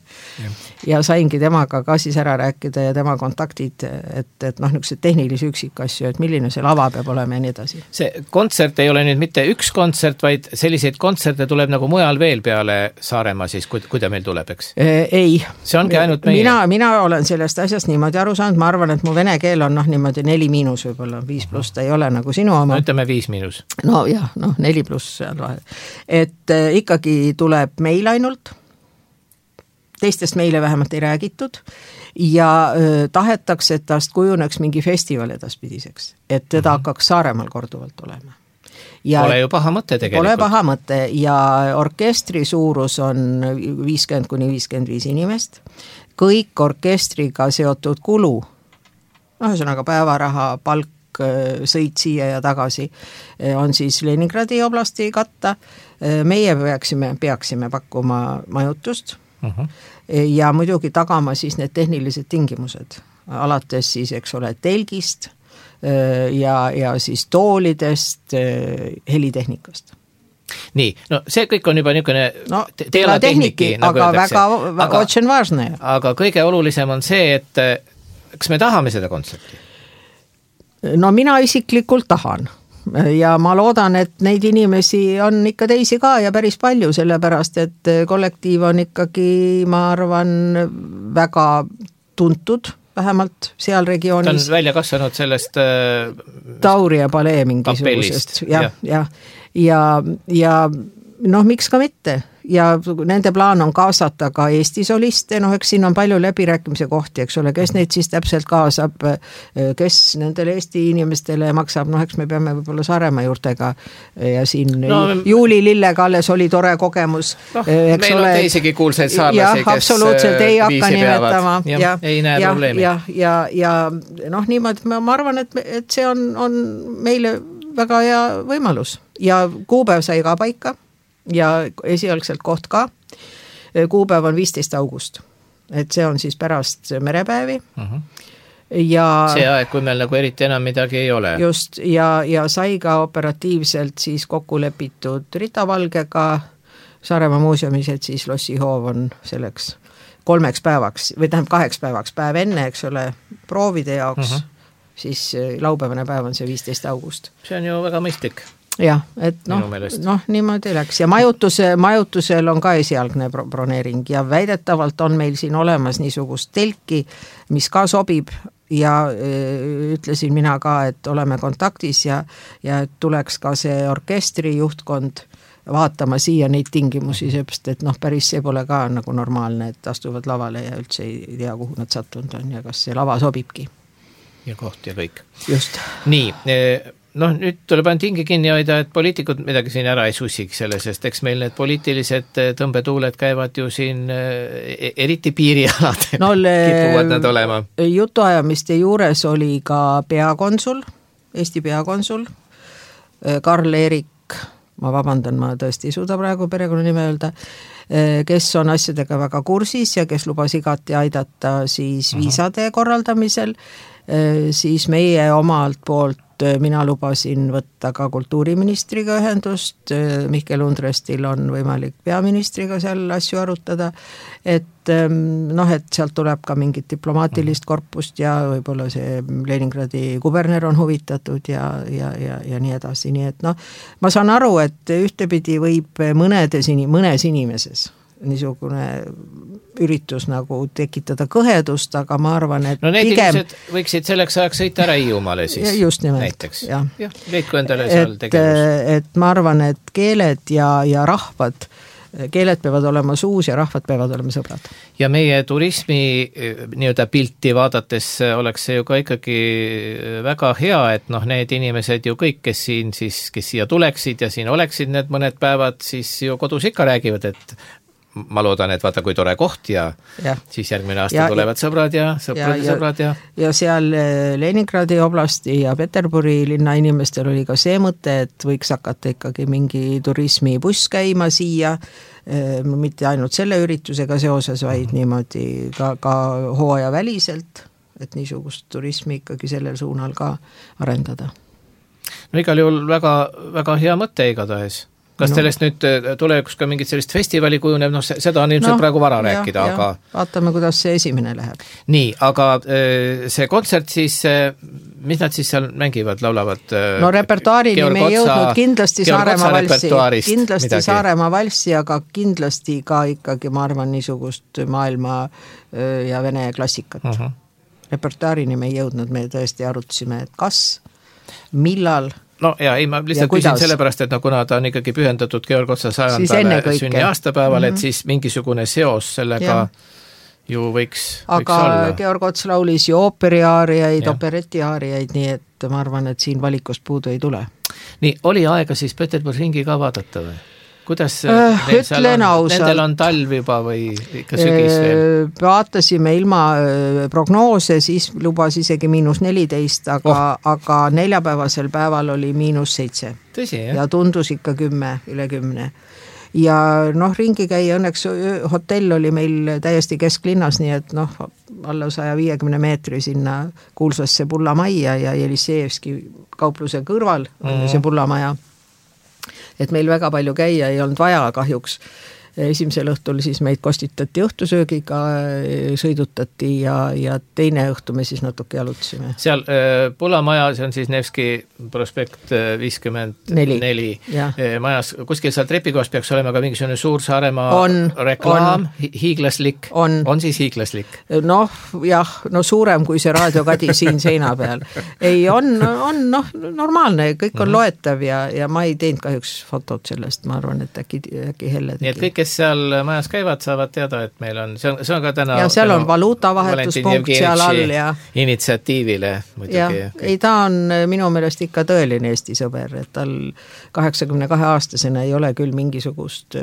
E: Ja saingi temaga ka siis ära rääkida ja tema kontaktid, et niisugused tehnilisi üksikasju, et milline see lava peab olema ja nii edasi.
A: See kontsert ei ole nüüd mitte üks kontsert, vaid selliseid kontserte tuleb nagu mujal veel peale Saaremaa siis, kui ta meil tuleb, eks?
E: Ei.
A: See ongi ainult meie?
E: Mina olen sellest asjast niimoodi aru saanud, ma arvan, et mu vene keel on niimoodi 4- võib-olla, 5+, ta ei ole nagu sinu oma.
A: No ütleme 5-.
E: No jah, 4+ seal vahel. Et ikkagi tuleb meil ainult, teistest meile vähemalt ei räägitud ja tahetakse, et tast kujuneks mingi festival edaspidiseks, et teda hakkaks Saaremaal korduvalt olema. Ja
A: pole ju paha mõte tegelikult.
E: Pole paha mõte ja orkestri suurus on 50-55 inimest. Kõik orkestriga seotud kulu, ühesõnaga päevaraha, palk, sõit siia ja tagasi, on siis Leningradi oblasti katta. Meie peaksime pakkuma majutust ja muidugi tagama siis need tehnilised tingimused, alates siis, eks ole, telgist ja siis toolidest, helitehnikast.
A: Nii, see kõik on juba niisugune
E: tehniki, aga väga очень важное.
A: Aga kõige olulisem on see, et kas me tahame seda kontserti?
E: No mina isiklikult tahan ja ma loodan, et neid inimesi on ikka teisi ka ja päris palju, sellepärast, et kollektiiv on ikkagi, ma arvan, väga tuntud, vähemalt seal regioonis.
A: Ta on välja kasvanud sellest
E: Tauri ja Palee mingisugusest. Ja miks ka mitte? Ja nende plaan on kaasata ka Eesti soliste, eks siin on palju läbirääkimise kohti, eks ole, kes neid siis täpselt kaasab, kes nendele Eesti inimestele maksab, eks me peame võib-olla Saaremaa juurtega ja siin Juuli Lillega alles oli tore kogemus.
A: Meil on teisigi kuulsaid saarlasi, kes
E: absoluutselt ei hakka nimetama.
A: Ei näe probleemi.
E: Ja niimoodi ma arvan, et see on meile väga hea võimalus ja kuupäev sai ka paika ja esialgselt koht ka. Kuupäev on 15. august, et see on siis pärast merepäevi. Ja
A: see aeg, kui meil nagu eriti enam midagi ei ole.
E: Just, ja sai ka operatiivselt siis kokku lepitud Rita Valgega Saaremaa muuseumis, et siis lossihoov on selleks 3 päevaks või tähendab 2 päevaks, päev enne, eks ole, proovide jaoks, siis laupäevane päev on see 15. august.
A: See on ju väga mõistlik.
E: Jah, et niimoodi läks ja majutusel on ka esialgne broneering ja väidetavalt on meil siin olemas niisugust telki, mis ka sobib ja ütlesin mina ka, et oleme kontaktis ja tuleks ka see orkestri juhtkond vaatama siia neid tingimusi, seepärast, et päris see pole ka nagu normaalne, et astuvad lavale ja üldse ei tea, kuhu nad sattunud on ja kas see lava sobibki.
A: Ja koht ja kõik.
E: Just.
A: Nii, nüüd tuleb ainult hinge kinni hoida, et poliitikud midagi siin ära ei sussiks selle, sest eks meil need poliitilised tõmbetuuled käivad ju siin eriti piirialadel kipuvad nad olema.
E: Jutuajamiste juures oli ka peakonsul, Eesti peakonsul, Karl-Erik, ma vabandan, ma tõesti ei suuda praegu perekonnanime öelda, kes on asjadega väga kursis ja kes lubas igati aidata siis viisade korraldamisel, siis meie omalt poolt mina lubasin võtta ka kultuuriministriga ühendust, Mihkel Undrestil on võimalik peaministriga seal asju arutada, et et sealt tuleb ka mingit diplomaatilist korpust ja võib-olla see Leningradi kuberner on huvitatud ja nii edasi, nii et ma saan aru, et ühtepidi võib mõnes inimeses niisugune üritus nagu tekitada kõhedust, aga ma arvan, et
A: need inimesed võiksid selleks ajaks sõita ära Hiiumaale siis
E: just nimelt,
A: näiteks. Jah, leidku endale seal tegevus.
E: Et ma arvan, et keeled ja rahvad, keeled peavad olema suus ja rahvad peavad olema sõbrad.
A: Ja meie turismi nii-öelda pilti vaadates oleks see ju ka ikkagi väga hea, et need inimesed ju kõik, kes siia tuleksid ja siin oleksid need mõned päevad, siis ju kodus ikka räägivad, et ma loodan, et vaata, kui tore koht ja siis järgmine aasta tulevad sõbrad ja sõbrad ja
E: ja seal Leningradi oblasti ja Peterburi linna inimestel oli ka see mõte, et võiks hakata ikkagi mingi turismibuss käima siia, mitte ainult selle üritusega seoses, vaid niimoodi ka hooaja väliselt, et niisugust turismi ikkagi sellel suunal ka arendada.
A: Igal juhul väga, väga hea mõte igatahes. Kas sellest nüüd tulevikus ka mingit sellist festivali kujuneb, seda on ilmselt praegu vara rääkida, aga
E: vaatame, kuidas see esimene läheb.
A: Nii, aga see kontsert siis, mis nad siis seal mängivad, laulavad?
E: Repertuaarini me ei jõudnud kindlasti Saaremaa valssi, aga kindlasti ka ikkagi, ma arvan, niisugust maailma ja vene klassikat. Repertuaarini me ei jõudnud, me tõesti arutasime, et kas, millal
A: ma lihtsalt küsin sellepärast, et kuna ta on ikkagi pühendatud Georg Otsa 100. sünni aastapäeval, et siis mingisugune seos sellega ju võiks
E: aga
A: olla.
E: Georg Ots laulis ju ooperiaariaid, operetiaariaid, nii et ma arvan, et siin valikust puudu ei tule.
A: Nii, oli aega siis Peterburi ringi ka vaadata või? Kuidas nendel on talv juba või ikka sügis veel?
E: Vaatasime ilma prognoose, siis lubas isegi -14, aga neljapäevasel päeval oli -7.
A: Tõsi, jah?
E: Ja tundus ikka 10, üle 10. Ja ringi käia, õnneks hotell oli meil täiesti kesklinnas, nii et alla 150 meetri sinna kuulsasse Pullamajja ja Jelisejevski kaupluse kõrval on see Pullamaja. Et meil väga palju käia ei olnud vaja kahjuks. Esimesel õhtul siis meid kostitati õhtusöögiga, sõidutati ja teine õhtu me siis natuke jalutasime.
A: Seal Pullamaja, see on siis Nevski prospekt 54 majas, kuskil seal trepikohas peaks olema ka mingisugune suur Saaremaa reklaam, hiiglaslik. On siis hiiglaslik?
E: Suurem kui see raadiokadi siin seina peal. Ei, on normaalne, kõik on loetav ja ma ei teinud kahjuks fotot sellest, ma arvan, et äkki helle tegi.
A: Nii et kõik, kes seal majas käivad, saavad teada, et meil on, see on ka täna
E: ja seal on valuutavahetuspunkt seal all ja
A: initsiatiivile muidugi.
E: Ei, ta on minu meelest ikka tõeline Eesti sõber, et tal 82-aastasena ei ole küll mingisugust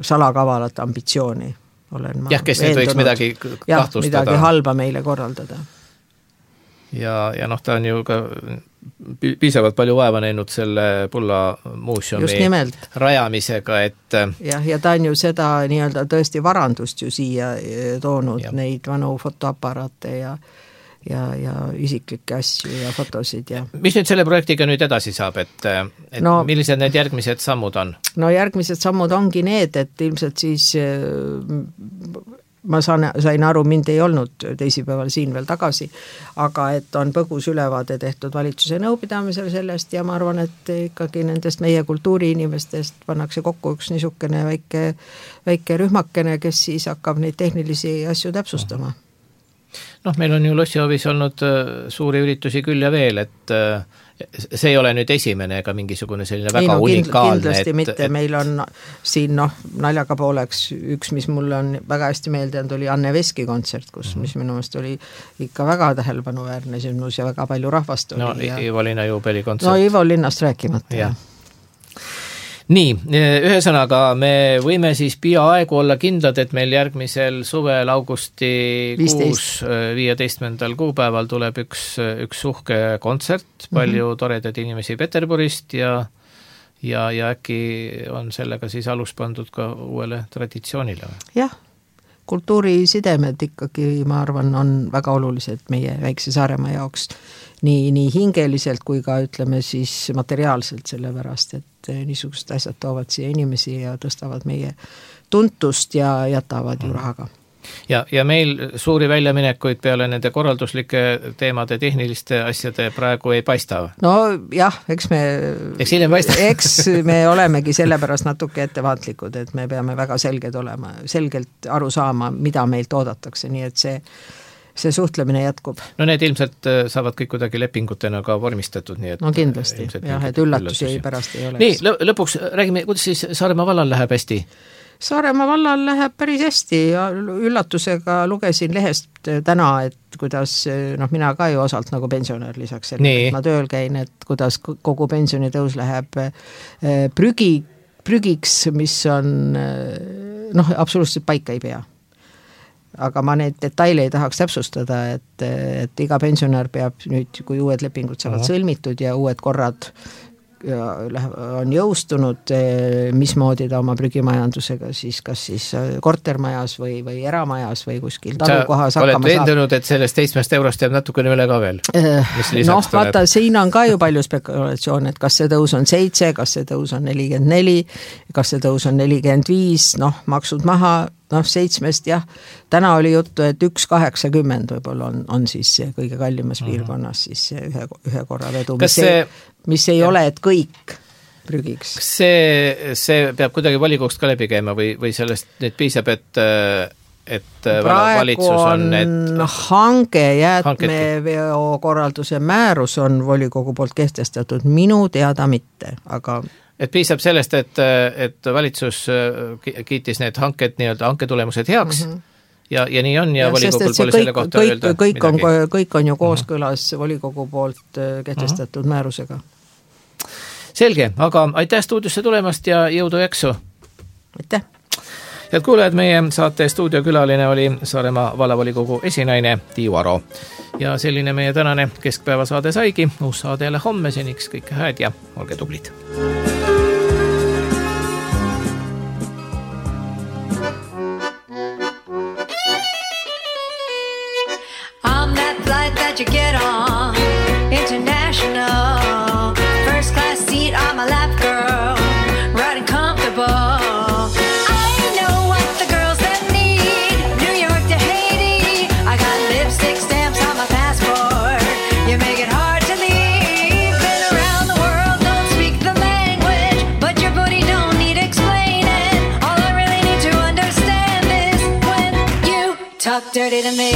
E: salakavalat ambitsiooni.
A: Kes nüüd võiks midagi kahtlustada.
E: Midagi halba meile korraldada.
A: Ja ta on ju ka piisavalt palju vaeva näinud selle Pulla muuseumi rajamisega, et
E: ja ta on ju seda nii-öelda tõesti varandust ju siia toonud, neid vanu fotoaparaate ja isiklikke asju ja fotosid ja
A: mis nüüd selle projektiga nüüd edasi saab, et
E: No-
A: millised need järgmised sammud on?
E: no järgmised sammud ongi need, et ilmselt siis ma sain aru, mind ei olnud teisipäeval siin veel tagasi, aga et on põgus ülevaade tehtud valitsuse nõupidamisel sellest ja ma arvan, et ikkagi nendest meie kultuuriinimestest pannakse kokku üks niisugune väike rühmakene, kes siis hakkab neid tehnilisi asju täpsustama.
A: Noh, meil on ju Lossihoovis olnud suuri üritusi küll ja veel, et see ei ole nüüd esimene ega mingisugune selline väga unikaalne.
E: Kindlasti mitte, meil on siin naljaga pooleks üks, mis mulle on väga hästi meeldinud, oli Anne Veski kontsert, mis minu meelest oli ikka väga tähelepanuväärne sündmus ja väga palju rahvast oli.
A: No Ivo Linna juubeli kontsert.
E: No Ivo Linnast rääkimata.
A: Ja. Nii, ühesõnaga me võime siis peaaegu olla kindlad, et meil järgmisel suvel augusti 15. kuupäeval tuleb üks uhke kontsert, palju toredaid inimesi Peterburist ja äkki on sellega siis alus pandud ka uuele traditsioonile.
E: Jah, kultuurisidemed ikkagi, ma arvan, on väga olulised meie väikse Saaremaa jaoks. Nii hingeliselt kui ka ütleme siis materiaalselt, sellepärast, et niisugused asjad toovad siia inimesi ja tõstavad meie tuntust ja jätavad ju rahaga.
A: Ja meil suuri väljaminekuid peale nende korralduslike teemade, tehniliste asjade praegu ei paista.
E: No jah, eks
A: hiljem paista.
E: Eks me olemegi sellepärast natuke ettevaatlikud, et me peame väga selgelt aru saama, mida meilt oodatakse, nii et see suhtlemine jätkub.
A: No need ilmselt saavad kõik kuidagi lepingutena ka vormistatud, nii et
E: no kindlasti, jah, et üllatusi pärast ei oleks.
A: Nii, lõpuks räägime, kuidas siis Saaremaa vallal läheb hästi?
E: Saaremaa vallal läheb päris hästi ja üllatusega lugesin lehest täna, et kuidas, mina ka ju osalt nagu pensionär lisaks sellele, et ma tööl käin, et kuidas kogu pensionitõus läheb prügiks, mis on absoluutselt paika ei pea. Aga ma neid detaile ei tahaks täpsustada, et iga pensionär peab nüüd, kui uued lepingud saavad sõlmitud ja uued korrad on jõustunud, mismoodi ta oma prügimajandusega siis kas siis kortermajas või eramajas või kuskil talukohas
A: hakkama saab. Oled veendunud, et sellest 7 eurost jääb natukene üle ka veel?
E: Vaata, siin on ka ju palju spekulatsioon, et kas see tõus on 7, kas see tõus on 44, kas see tõus on 45, maksud maha, 7-st jah, täna oli juttu, et 1,80 võib-olla on siis see kõige kallimas piirkonnas siis ühe korra vedu, mis ei ole, et kõik prügiks.
A: Kas see peab kuidagi volikoogust ka läbi käima või sellest nüüd piisab, et valitsus on
E: hange jäätmeveo korralduse määrus on volikogu poolt kehtestatud, minu teada mitte, aga
A: et piisab sellest, et valitsus kiitis need hanketulemused heaks ja nii on ja volikogul pole selle kohta öelda
E: midagi. Kõik on ju kooskõlas volikogu poolt kehtestatud määrusega.
A: Selge, aga aitäh stuudiosse tulemast ja jõudu jaksu!
E: Aitäh!
A: Head kuulajad, meie saate stuudiokülaline oli Saaremaa vallavolikogu esinaine Tiiu Aro. Ja selline meie tänane keskpäevasaade saigi. Uus saade jälle homme, seniks kõike hääd ja olge tublid!
B: You get on international first class seat on my lap, girl, riding comfortable. I know what the girls that need New York to Haiti. I got lipstick stamps on my passport. You make it hard to leave. Been around the world, don't speak the language, but your booty don't need explaining. All I really need to understand is when you talk dirty to me.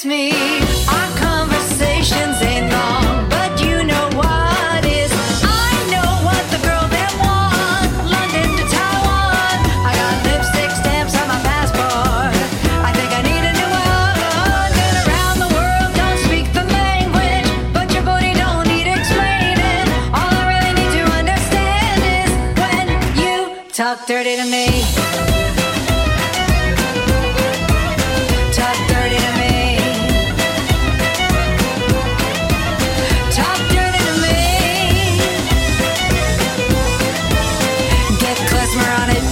B: Me, our conversations ain't long, but you know what is. I know what the girl that want London to Taiwan. I got lipstick stamps on my passport. I think I need a new one. Been around the world, don't speak the language, but your booty don't need explaining. All I really need to understand is when you
F: dirty to me. Talk dirty to me. Talk dirty to me. Get klezmer on it.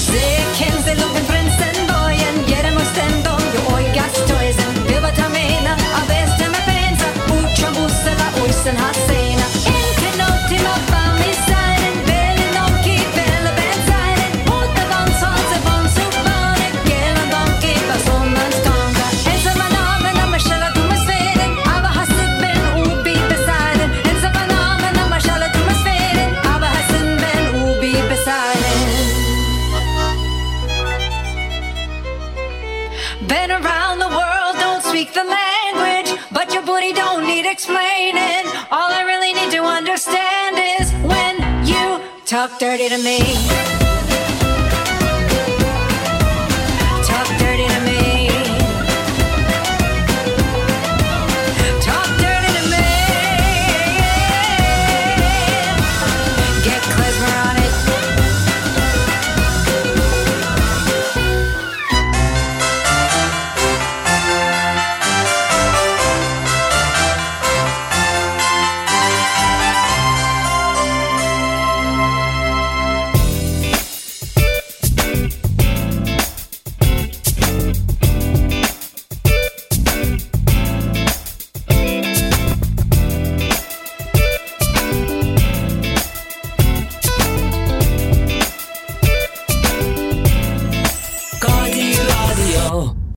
F: Se kenze lupen prinsen bojen, jeremo stendom jo oigas toisen. Hyvä tamena, avestemme pensa, uutsan bussella uisen hasseina. Inte nåt till nåt van i sajden, väldigt nonki, väldigt bensajden. Uutta vansvanse, vansuvane, gelen donki, vasonnan skanga. Ensamma namen, amma själva tumasferen, ava hasubben, ubi besajden. Ensamma namen, amma själva tumasferen, ava hasubben, ubi besajden. Been around the world, don't speak the language, but your booty don't need explaining. All I really need to understand is when you talk dirty to me.